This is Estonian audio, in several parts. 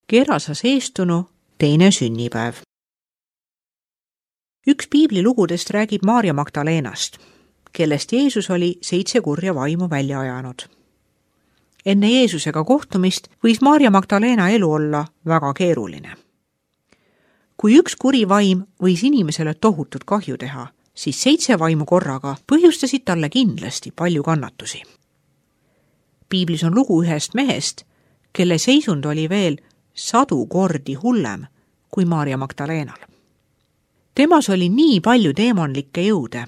Gerasas eestunu teine sünnipäev. Üks piiblilugudest räägib Maarja Magdalenast, kellest Jeesus oli 7 kurja vaimu välja ajanud. Enne Jeesusega kohtumist võis Maarja Magdalena elu olla väga keeruline. Kui üks kuri vaim võis inimesele tohutut kahju teha, siis 7 vaimu korraga põhjustasid talle kindlasti palju kannatusi. Piiblis on lugu ühest mehest, kelle seisund oli veel 100 kordi hullem kui Maarja Magdalenal. Temas oli nii palju deemonlikke jõude,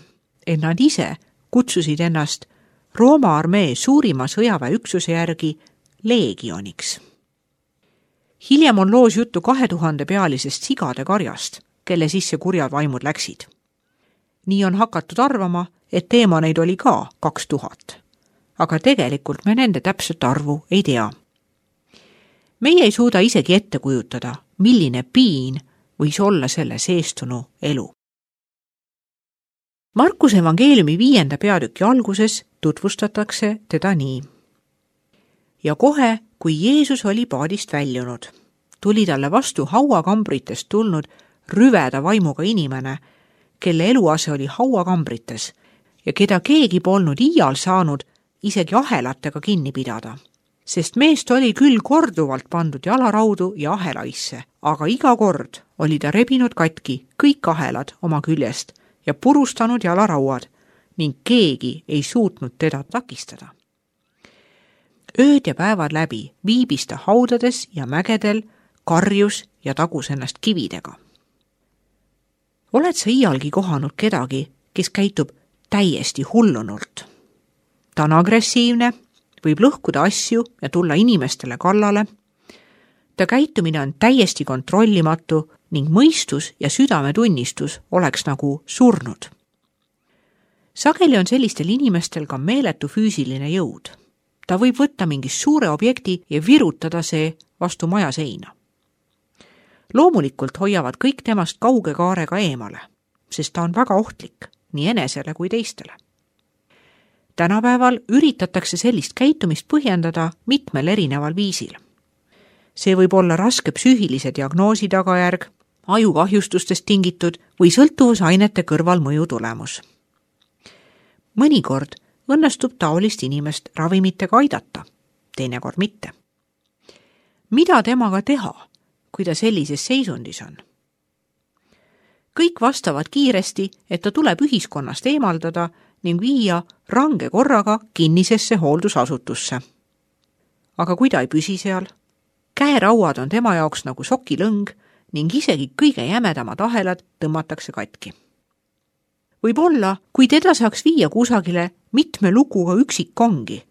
et nad ise kutsusid ennast Rooma armee suurima sõjaväeüksuse järgi leegioniks. Hiljem on loos juttu 2000 pealisest sigade karjast, kelle sisse kurjad vaimud läksid. Nii on hakatud arvama, et deemoneid oli ka 2000, aga tegelikult me nende täpset arvu ei tea. Meie ei suuda isegi ette kujutada, milline piin võis olla selle seestunu elu. Markuse evangeeliumi 5. peatüki alguses tutvustatakse teda nii. Ja kohe, kui Jeesus oli paadist väljunud, tuli talle vastu hauakambritest tulnud rüveda vaimuga inimene, kelle eluase oli hauakambrites ja keda keegi polnud iial saanud isegi ahelatega kinni pidada. Sest meest oli küll korduvalt pandud jalaraudu ja ahelaisse, aga iga kord oli ta rebinud katki kõik ahelad oma küljest ja purustanud jalarauad ning keegi ei suutnud teda takistada. Ööd ja päevad läbi viibis ta haudades ja mägedel, karjus ja tagus ennast kividega. Oled sa iialgi kohanud kedagi, kes käitub täiesti hullunult? Ta on agressiivne, võib lõhkuda asju ja tulla inimestele kallale. Ta käitumine on täiesti kontrollimatu ning mõistus ja südametunnistus oleks nagu surnud. Sageli on sellistel inimestel ka meeletu füüsiline jõud. Ta võib võtta mingi suure objekti ja virutada see vastu maja seina. Loomulikult hoiavad kõik temast kauge kaarega eemale, sest ta on väga ohtlik nii enesele kui teistele. Tänapäeval üritatakse sellist käitumist põhjendada mitmel erineval viisil. See võib olla raske psüühilise diagnoosi tagajärg, ajukahjustustest tingitud või sõltuvusainete kõrvalmõju tulemus. Mõnikord õnnestub taolist inimest ravimitega aidata, teinekord mitte. Mida temaga teha, kui ta sellises seisundis on? Kõik vastavad kiiresti, et ta tuleb ühiskonnast eemaldada ning viia range korraga kinnisesse hooldusasutusse. Aga kui ta ei püsi seal? Käerauad on tema jaoks nagu sokilõng ning isegi kõige jämedamad ahelad tõmmatakse katki. Võib-olla, kui teda saaks viia kusagile mitme lukuga üksikkongi,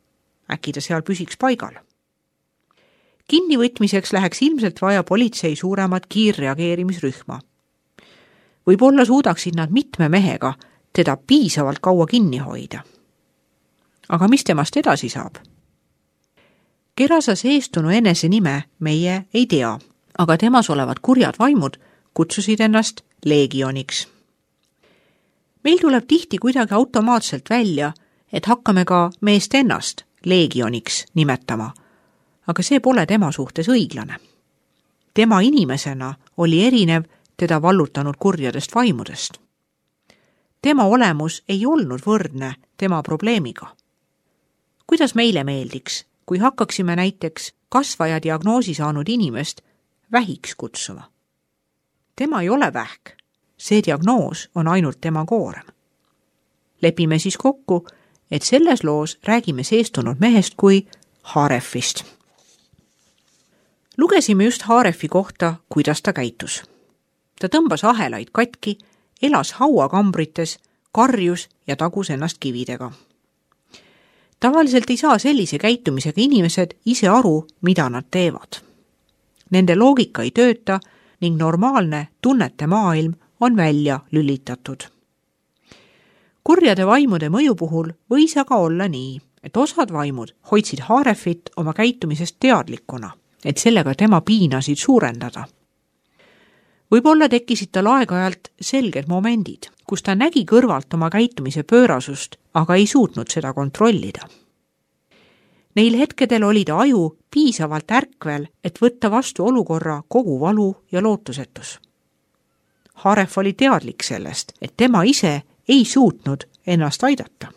äkki ta seal püsiks paigal. Kinnivõtmiseks läheks ilmselt vaja politsei suuremat kiirreageerimisrühma. Võib-olla suudaksid nad mitme mehega teda piisavalt kaua kinni hoida. Aga mis temast edasi saab? Gerasas eestunu enese nime meie ei tea, aga temas olevad kurjad vaimud kutsusid ennast leegioniks. Meil tuleb tihti kuidagi automaatselt välja, et hakkame ka meest ennast leegioniks nimetama, aga see pole tema suhtes õiglane. Tema inimesena oli erinev teda vallutanud kurjadest vaimudest. Tema olemus ei olnud võrdne tema probleemiga. Kuidas meile meeldiks, kui hakkaksime näiteks kasvaja diagnoosi saanud inimest vähiks kutsuma? Tema ei ole vähk, see diagnoos on ainult tema koorem. Lepime siis kokku, et selles loos räägime seestunud mehest kui Haarefist. Lugesime just Haarefi kohta, kuidas ta käitus. Ta tõmbas ahelaid katki, elas hauakambrites, karjus ja tagus ennast kividega. Tavaliselt ei saa sellise käitumisega inimesed ise aru, mida nad teevad. Nende loogika ei tööta ning normaalne tunnete maailm on välja lülitatud. Kurjade vaimude mõju puhul võis aga olla nii, et osad vaimud hoidsid Haarefit oma käitumisest teadlikuna, et sellega tema piinasid suurendada. Võib-olla tekkisid tal aeg-ajalt selged momendid, kus ta nägi kõrvalt oma käitumise pöörasust, aga ei suutnud seda kontrollida. Neil hetkedel oli ta aju piisavalt ärkvel, et võtta vastu olukorra kogu valu ja lootusetus. Haref oli teadlik sellest, et tema ise ei suutnud ennast aidata.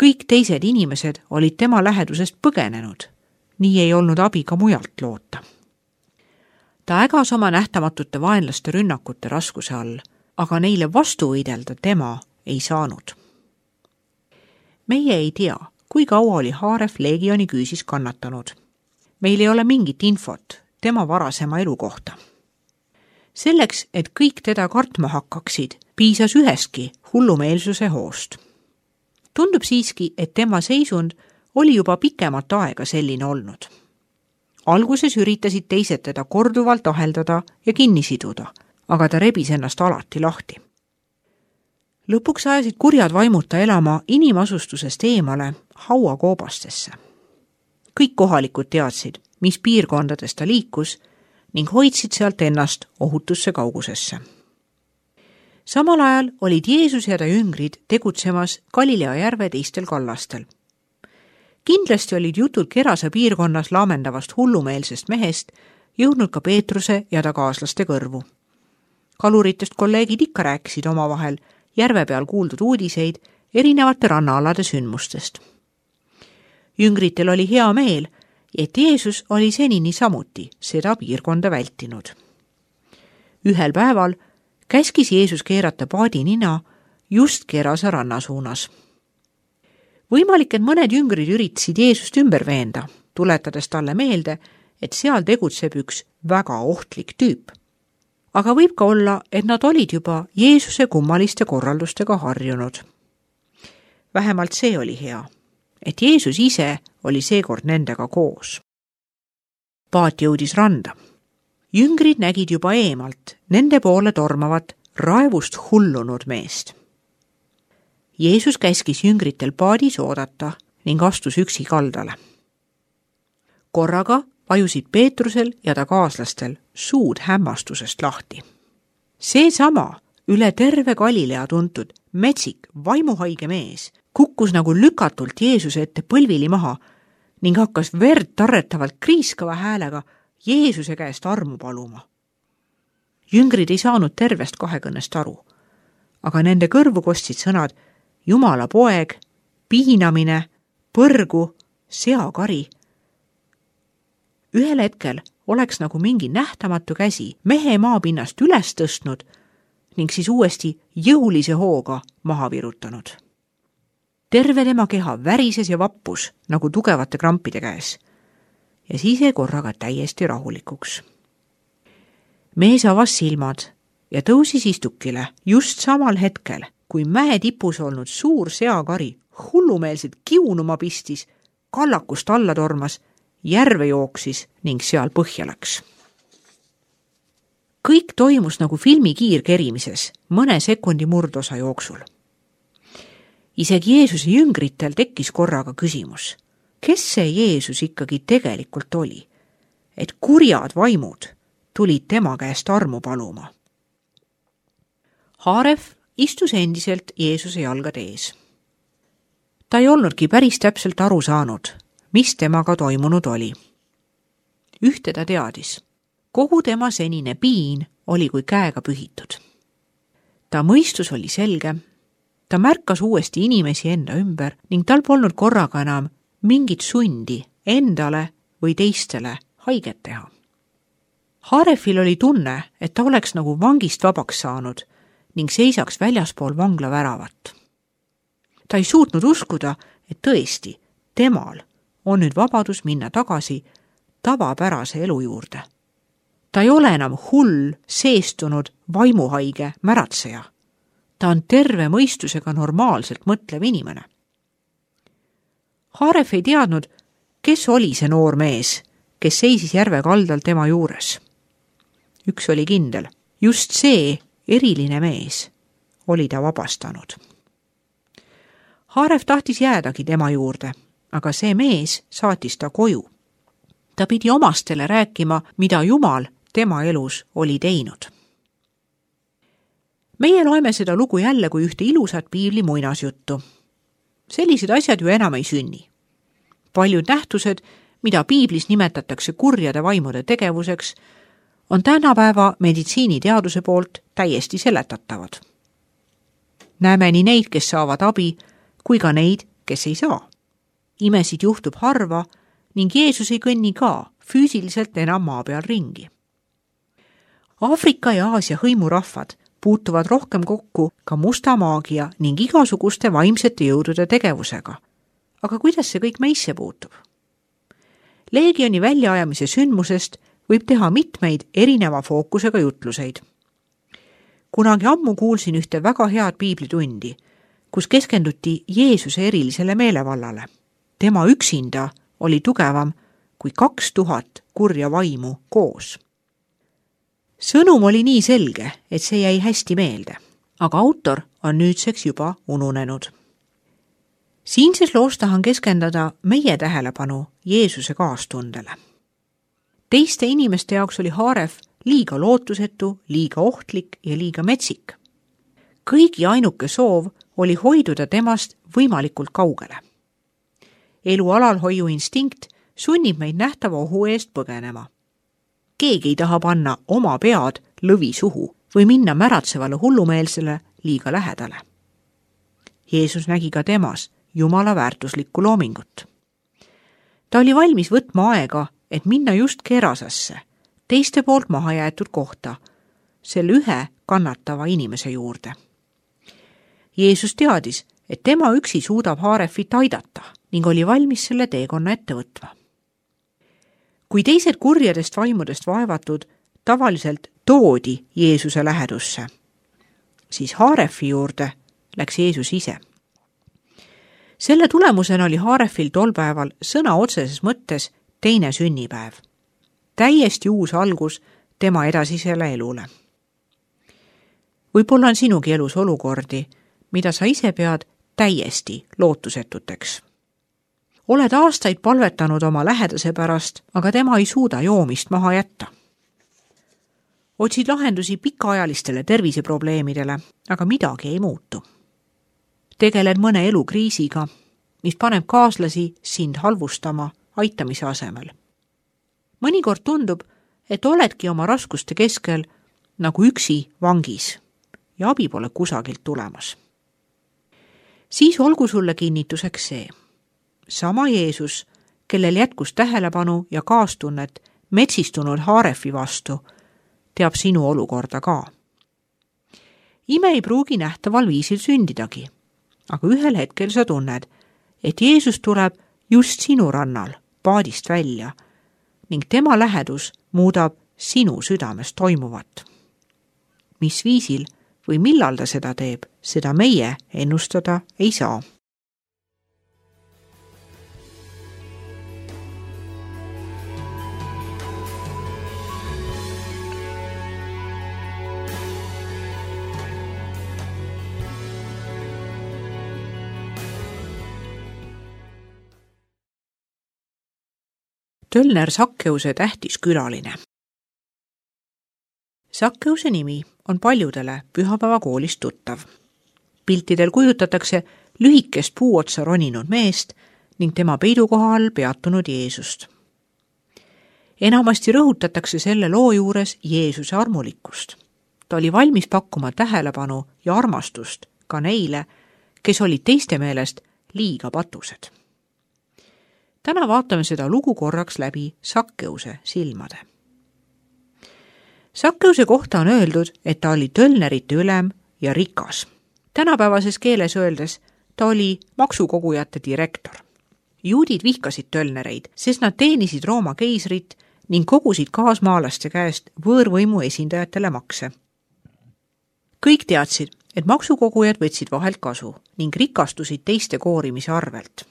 Kõik teised inimesed olid tema lähedusest põgenenud, nii ei olnud abi ka mujalt loota. Ta ägas oma nähtamatute vaenlaste rünnakute raskuse all, aga neile vastu võidelda tema ei saanud. Meie ei tea, kui kaua oli Haref Leegioni küüsis kannatanud. Meil ei ole mingit infot tema varasema elu kohta. Selleks, et kõik teda kartma hakkaksid, piisas ühestki hullumeelsuse hoost. Tundub siiski, et tema seisund oli juba pikemat aega selline olnud. Alguses üritasid teised teda korduvalt aheldada ja kinni siduda, aga ta rebis ennast alati lahti. Lõpuks ajasid kurjad vaimud ta elama inimasustusest eemale hauakoobastesse. Kõik kohalikud teadsid, mis piirkondades ta liikus ning hoidsid sealt ennast ohutusse kaugusesse. Samal ajal olid Jeesus ja ta jüngrid tegutsemas Galilea järve teistel kallastel. Kindlasti olid jutud Gerasa piirkonnas laamendavast hullumeelsest mehest jõudnud ka Peetruse ja ta kaaslaste kõrvu. Kaluritest kolleegid ikka rääkisid omavahel järve peal kuuldud uudiseid erinevate rannaalade sündmustest. Jüngritel oli hea meel, et Jeesus oli senini samuti seda piirkonda vältinud. Ühel päeval käskis Jeesus keerata paadi nina just Gerasa ranna suunas. Võimalik, et mõned jüngrid üritasid Jeesust ümber veenda, tuletades talle meelde, et seal tegutseb üks väga ohtlik tüüp. Aga võib ka olla, et nad olid juba Jeesuse kummaliste korraldustega harjunud. Vähemalt see oli hea, et Jeesus ise oli seekord nendega koos. Paat jõudis randa. Jüngrid nägid juba eemalt nende poole tormavat raevust hullunud meest. Jeesus käskis jüngritel paadis oodata ning astus üksi kaldale. Korraga vajusid Peetrusel ja ta kaaslastel suud hämmastusest lahti. Seesama üle terve Galilea tuntud metsik vaimuhaige mees kukkus nagu lükatult Jeesuse ette põlvili maha ning hakkas verd tarretavalt kriiskava häälega Jeesuse käest armu paluma. Jüngrid ei saanud tervest kahekõnnest aru, aga nende kõrvu kostsid sõnad Jumala poeg, piinamine, põrgu, seakari. Ühel hetkel oleks nagu mingi nähtamatu käsi mehe maapinnast üles tõstnud ning siis uuesti jõulise hooga maha virutanud. Terve tema keha värises ja vappus nagu tugevate krampide käes ja siis jäi korraga täiesti rahulikuks. Mees avas silmad ja tõusis istukile just samal hetkel, kui mäe tipus olnud suur seakari hullumeelselt kiunuma pistis, kallakust alla tormas, järve jooksis ning seal põhja läks. Kõik toimus nagu filmi kiirkerimises mõne sekundi murdosa jooksul. Isegi Jeesuse jüngritel tekkis korraga küsimus, kes see Jeesus ikkagi tegelikult oli, et kurjad vaimud tulid tema käest armu paluma. Haref istus endiselt Jeesuse jalgade ees. Ta ei olnudki päris täpselt aru saanud, mis temaga toimunud oli. Ühte ta teadis. Kogu tema senine piin oli kui käega pühitud. Ta mõistus oli selge, ta märkas uuesti inimesi enda ümber ning tal polnud korraga enam mingit sundi endale või teistele haiget teha. Harefil oli tunne, et ta oleks nagu vangist vabaks saanud ning seisaks väljaspool vangla väravat. Ta ei suutnud uskuda, et tõesti, temal on nüüd vabadus minna tagasi tavapärase elu juurde. Ta ei ole enam hull, seestunud, vaimuhaige märatseja. Ta on terve mõistusega normaalselt mõtlev inimene. Haref ei teadnud, kes oli see noor mees, kes seisis järve kaldal tema juures. Üks oli kindel, just see eriline mees oli ta vabastanud. Haref tahtis jäädagi tema juurde, aga see mees saatis ta koju. Ta pidi omastele rääkima, mida Jumal tema elus oli teinud. Meie loeme seda lugu jälle kui ühte ilusat piibli muinasjuttu. Sellised asjad ju enam ei sünni. Paljud nähtused, mida piiblis nimetatakse kurjade vaimude tegevuseks, on tänapäeva meditsiiniteaduse poolt täiesti seletatavad. Näeme nii neid, kes saavad abi, kui ka neid, kes ei saa. Imesid juhtub harva ning Jeesus ei kõnni ka füüsiliselt enam maa peal ringi. Aafrika ja Aasia hõimurahvad puutuvad rohkem kokku ka musta maagia ning igasuguste vaimsete jõudude tegevusega. Aga kuidas see kõik meisse puutub? Leegioni väljaajamise sündmusest võib teha mitmeid erineva fookusega jutluseid. Kunagi ammu kuulsin ühte väga head piiblitundi, kus keskenduti Jeesuse erilisele meelevallale. Tema üksinda oli tugevam kui 2000 kurja vaimu koos. Sõnum oli nii selge, et see jäi hästi meelde, aga autor on nüüdseks juba ununenud. Siinses loos tahan keskenduda meie tähelepanu Jeesuse kaastundele. Teiste inimeste jaoks oli Haaref liiga lootusetu, liiga ohtlik ja liiga metsik. Kõigi ainuke soov oli hoiduda temast võimalikult kaugele. Elu alalhoiu instinkt sunnib meid nähtava ohu eest põgenema. Keegi ei taha panna oma pead lõvi suhu või minna märatsevale hullumeelsele liiga lähedale. Jeesus nägi ka temas Jumala väärtuslikku loomingut. Ta oli valmis võtma aega, et minna just Kerasasse, teiste poolt maha jäetud kohta, selle ühe kannatava inimese juurde. Jeesus teadis, et tema üksi suudab Haarefit aidata ning oli valmis selle teekonna ette võtma. Kui teised kurjadest vaimudest vaevatud tavaliselt toodi Jeesuse lähedusse, siis Haarefi juurde läks Jeesus ise. Selle tulemusena oli Haarefil tol päeval sõna otseses mõttes teine sünnipäev. Täiesti uus algus tema edasisele elule. Võib-olla on sinugi elus olukordi, mida sa ise pead täiesti lootusetuteks. Oled aastaid palvetanud oma lähedase pärast, aga tema ei suuda joomist maha jätta. Otsid lahendusi pikaajalistele terviseprobleemidele, aga midagi ei muutu. Tegeled mõne elukriisiga, mis paneb kaaslasi sind halvustama aitamise asemel. Mõnikord tundub, et oledki oma raskuste keskel nagu üksi vangis ja abi pole kusagilt tulemas. Siis olgu sulle kinnituseks see. Sama Jeesus, kellel jätkus tähelepanu ja kaastunnet metsistunud Haarefi vastu, teab sinu olukorda ka. Ime ei pruugi nähtaval viisil sündidagi, aga ühel hetkel sa tunned, et Jeesus tuleb just sinu rannal paadist välja ning tema lähedus muudab sinu südames toimuvat. Mis viisil või millal ta seda teeb, seda meie ennustada ei saa. Tölner Sakkeuse tähtis külaline. Sakkeuse nimi on paljudele pühapäevakoolist tuttav. Piltidel kujutatakse lühikest puuotsa roninud meest ning tema peidukoha all peatunud Jeesust. Enamasti rõhutatakse selle loo juures Jeesuse armulikkust. Ta oli valmis pakkuma tähelepanu ja armastust ka neile, kes olid teiste meelest liiga patused. Täna vaatame seda lugu korraks läbi Sakkeuse silmade. Sakkeuse kohta on öeldud, et ta oli tölnerite ülem ja rikas. Tänapäevases keeles öeldes ta oli maksukogujate direktor. Juudid vihkasid tölnereid, sest nad teenisid Rooma keisrit ning kogusid kaasmaalaste käest võõrvõimu esindajatele makse. Kõik teadsid, et maksukogujad võtsid vahelt kasu ning rikastusid teiste koorimise arvelt.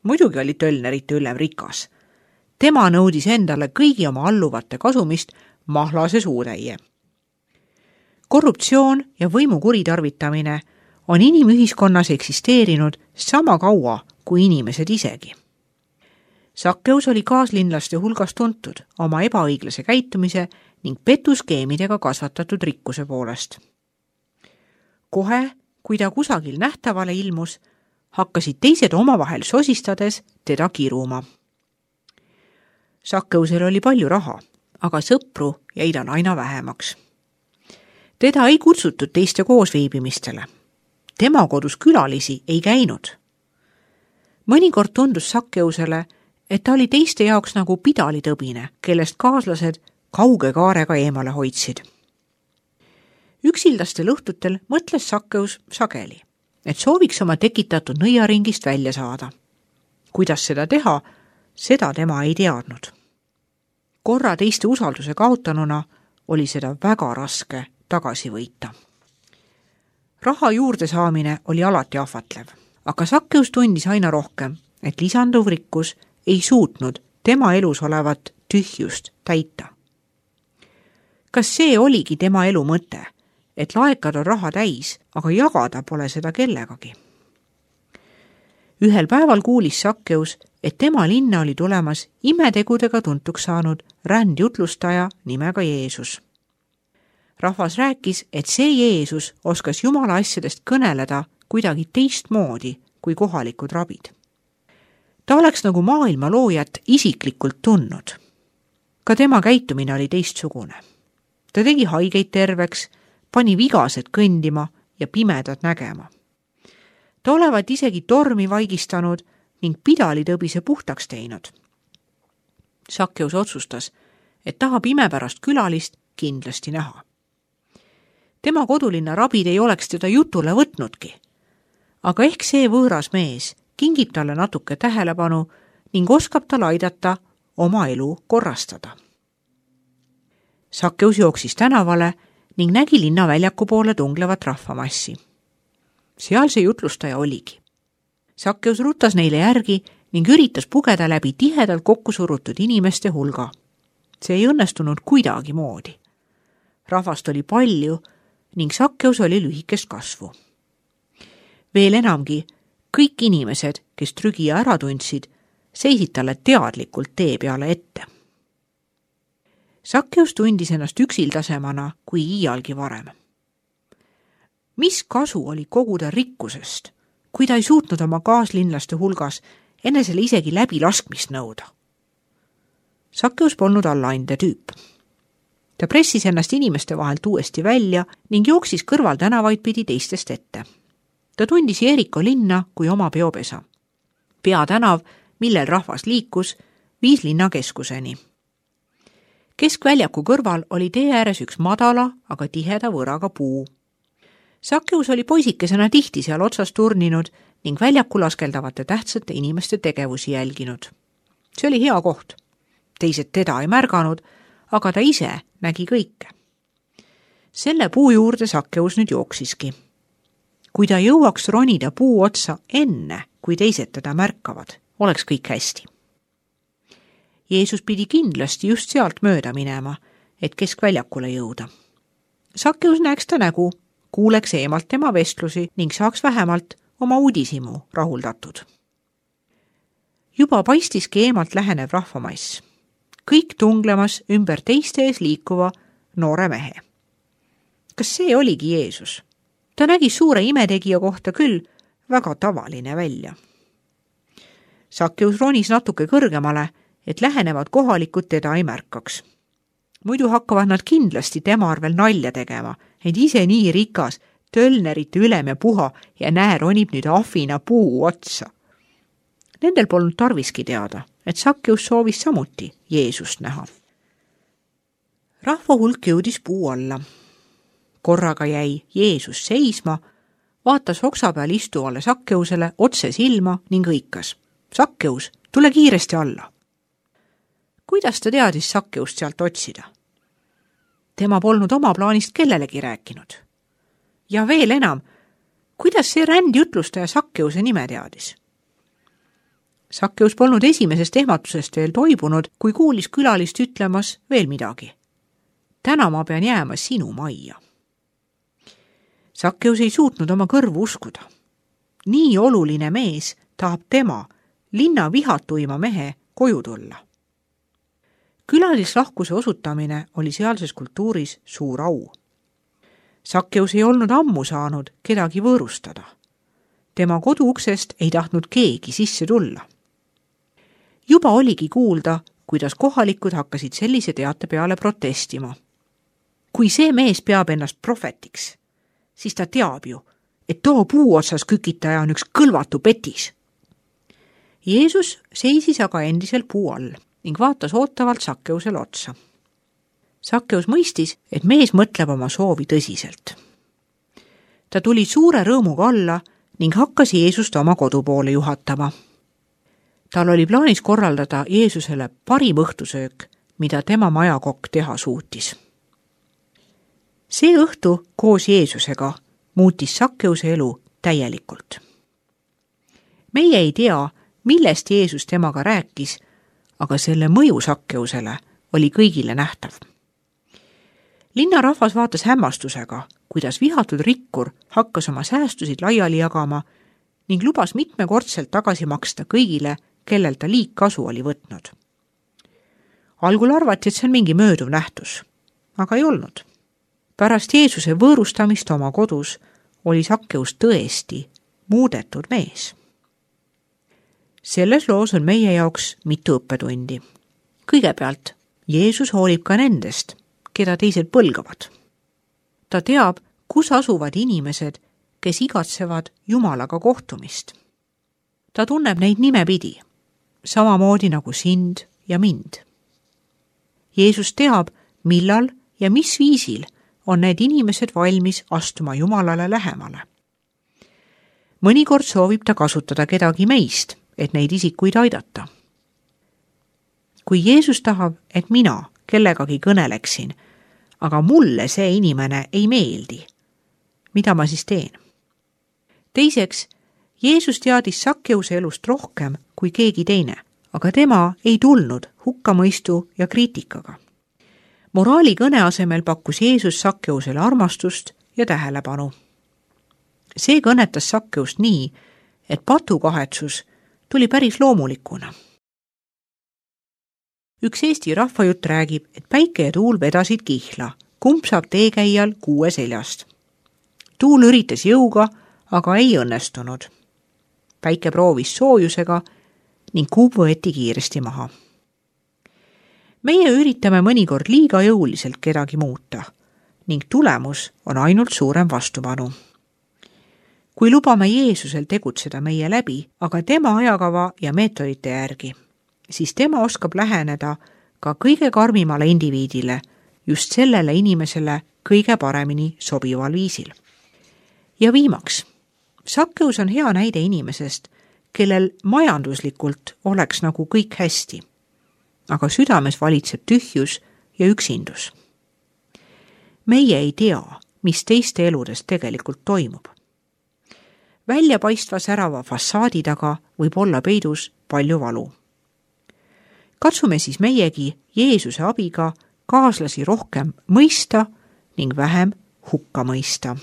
Muidugi oli tölnerite ülem rikas. Tema nõudis endale kõigi oma alluvate kasumist mahlase suutäie. Korruptsioon ja võimu kuritarvitamine on inimühiskonnas eksisteerinud sama kaua kui inimesed isegi. Sakkeus oli kaaslinlaste hulgas tuntud oma ebaõiglase käitumise ning petuskeemidega kasvatatud rikkuse poolest. Kohe, kui ta kusagil nähtavale ilmus, hakkasid teised omavahel sosistades teda kiruma. Sakkeusel oli palju raha, aga sõpru jäi tal aina vähemaks. Teda ei kutsutud teiste koosviibimistele. Tema kodus külalisi ei käinud. Mõnikord tundus Sakkeusele, et ta oli teiste jaoks nagu pidalitõbine, kellest kaaslased kauge kaarega eemale hoidsid. Üksildastel õhtutel mõtles Sakkeus sageli, et sooviks oma tekitatud nõiaringist välja saada. Kuidas seda teha, seda tema ei teadnud. Korra teiste usalduse kaotanuna oli seda väga raske tagasi võita. Raha juurde saamine oli alati ahvatlev, aga Sakkeus tundis aina rohkem, et lisanduv rikkus ei suutnud tema elus olevat tühjust täita. Kas see oligi tema elu mõte, et laekad on raha täis, aga jagada pole seda kellegagi? Ühel päeval kuulis Sakkeus, et tema linna oli tulemas imetegudega tuntuks saanud rändjutlustaja nimega Jeesus. Rahvas rääkis, et see Jeesus oskas Jumala asjadest kõneleda kuidagi teistmoodi kui kohalikud rabid. Ta oleks nagu maailma loojat isiklikult tundnud. Ka tema käitumine oli teistsugune. Ta tegi haigeid terveks, pani vigased kõndima ja pimedad nägema. Ta olevat isegi tormi vaigistanud ning pidalitõbise puhtaks teinud. Sakkeus otsustas, et tahab imepärast külalist kindlasti näha. Tema kodulinna rabid ei oleks teda jutule võtnudki, aga ehk see võõras mees kingib talle natuke tähelepanu ning oskab tal aidata oma elu korrastada. Sakkeus jooksis tänavale ning nägi linnaväljaku poole tunglevat rahvamassi. Seal see jutlustaja oligi. Sakkeus rutas neile järgi ning üritas pugeda läbi tihedalt kokku surutud inimeste hulga. See ei õnnestunud kuidagi moodi. Rahvast oli palju ning Sakkeus oli lühikest kasvu. Veel enamgi, kõik inimesed, kes trügija ära tundsid, seisid talle teadlikult tee peale ette. Sakkeus tundis ennast üksildasemana kui iialgi varem. Mis kasu oli koguda rikkusest, kui ta ei suutnud oma kaaslinlaste hulgas enesele isegi läbilaskmist nõuda? Sakkeus polnud allaande tüüp. Ta pressis ennast inimeste vahelt uuesti välja ning jooksis kõrval tänavaid pidi teistest ette. Ta tundis Jeriko linna kui oma peopesa. Peatänav, millel rahvas liikus, viis linna keskuseni. Keskväljaku kõrval oli tee ääres üks madala, aga tiheda võraga puu. Sakkeus oli poisikesena tihti seal otsas turninud ning väljaku laskeldavate tähtsate inimeste tegevusi jälginud. See oli hea koht. Teised teda ei märganud, aga ta ise nägi kõike. Selle puu juurde Sakkeus nüüd jooksiski. Kui ta jõuaks ronida puu otsa enne, kui teised teda märkavad, oleks kõik hästi. Jeesus pidi kindlasti just sealt mööda minema, et keskväljakule jõuda. Sakkeus näeks ta nägu, kuuleks eemalt tema vestlusi ning saaks vähemalt oma uudishimu rahuldatud. Juba paistiski eemalt lähenev rahvamass. Kõik tunglemas ümber teiste ees liikuva noore mehe. Kas see oligi Jeesus? Ta nägi suure imetegija kohta küll väga tavaline välja. Sakkeus ronis natuke kõrgemale, et lähenevad kohalikud teda ei märkaks. Muidu hakkavad nad kindlasti tema arvel nalja tegema, et ise nii rikas, tölnerite ülem ja puha ja näe ronib nüüd ahvina puu otsa. Nendel polnud tarviski teada, et Sakkeus soovis samuti Jeesust näha. Rahva hulk jõudis puu alla. Korraga jäi Jeesus seisma, vaatas oksa peal istuvale Sakkeusele otse silma ning hõikas. Sakkeus, tule kiiresti alla. Kuidas ta teadis Sakkeust sealt otsida? Tema polnud oma plaanist kellelegi rääkinud. Ja veel enam, kuidas see rändjutlustaja Sakkeuse nime teadis? Sakkeus polnud esimesest ehmatusest veel toibunud, kui kuulis külalist ütlemas veel midagi. Täna ma pean jääma sinu majja. Sakkeus ei suutnud oma kõrvu uskuda. Nii oluline mees tahab tema, linna vihatuima mehe, koju tulla. Külalislahkuse osutamine oli sealses kultuuris suur au. Sakkeus ei olnud ammu saanud kedagi võõrustada. Tema koduuksest ei tahtnud keegi sisse tulla. Juba oligi kuulda, kuidas kohalikud hakkasid sellise teate peale protestima. Kui see mees peab ennast prohvetiks, siis ta teab ju, et too puu otsas kükitaja on üks kõlvatu petis. Jeesus seisis aga endiselt puu all ning vaatas ootavalt Sakkeusele otsa. Sakkeus mõistis, et mees mõtleb oma soovi tõsiselt. Ta tuli suure rõõmuga alla ning hakkas Jeesust oma kodu poole juhatama. Tal oli plaanis korraldada Jeesusele parim õhtusöök, mida tema majakokk teha suutis. See õhtu koos Jeesusega muutis Sakkeuse elu täielikult. Meie ei tea, millest Jeesus temaga rääkis, aga selle mõju Sakkeusele oli kõigile nähtav. Linnarahvas vaatas hämmastusega, kuidas vihatud rikkur hakkas oma säästusid laiali jagama ning lubas mitmekordselt tagasi maksta kõigile, kellel ta liigkasu oli võtnud. Algul arvati, et see on mingi mööduv nähtus, aga ei olnud. Pärast Jeesuse võõrustamist oma kodus oli Sakkeus tõesti muudetud mees. Selles loos on meie jaoks mitu õppetundi. Kõigepealt, Jeesus hoolib ka nendest, keda teised põlgavad. Ta teab, kus asuvad inimesed, kes igatsevad Jumalaga kohtumist. Ta tunneb neid nimepidi, samamoodi nagu sind ja mind. Jeesus teab, millal ja mis viisil on need inimesed valmis astuma Jumalale lähemale. Mõnikord soovib ta kasutada kedagi meist, et neid isikuid aidata. Kui Jeesus tahab, et mina kellegagi kõneleksin, aga mulle see inimene ei meeldi, mida ma siis teen? Teiseks, Jeesus teadis Sakkeuse elust rohkem kui keegi teine, aga tema ei tulnud hukkamõistu ja kriitikaga. Moraali kõne asemel pakkus Jeesus Sakkeusele armastust ja tähelepanu. See kõnetas Sakkeust nii, et patukahetsus tuli päris loomulikuna. Üks Eesti rahvajutt räägib, et päike ja tuul vedasid kihla, kumb saab teekäijal kuue seljast. Tuul üritas jõuga, aga ei õnnestunud. Päike proovis soojusega ning kuub võeti kiiresti maha. Meie üritame mõnikord liiga jõuliselt kedagi muuta ning tulemus on ainult suurem vastupanu. Kui lubame Jeesusel tegutseda meie läbi, aga tema ajakava ja meetodite järgi, siis tema oskab läheneda ka kõige karmimale indiviidile, just sellele inimesele kõige paremini sobival viisil. Ja viimaks, Sakkeus on hea näide inimesest, kellel majanduslikult oleks nagu kõik hästi, aga südames valitseb tühjus ja üksindus. Meie ei tea, mis teiste eludes tegelikult toimub. Väljapaistva särava fassaadi taga võib olla peidus palju valu. Katsume siis meiegi Jeesuse abiga kaaslasi rohkem mõista ning vähem hukka mõista.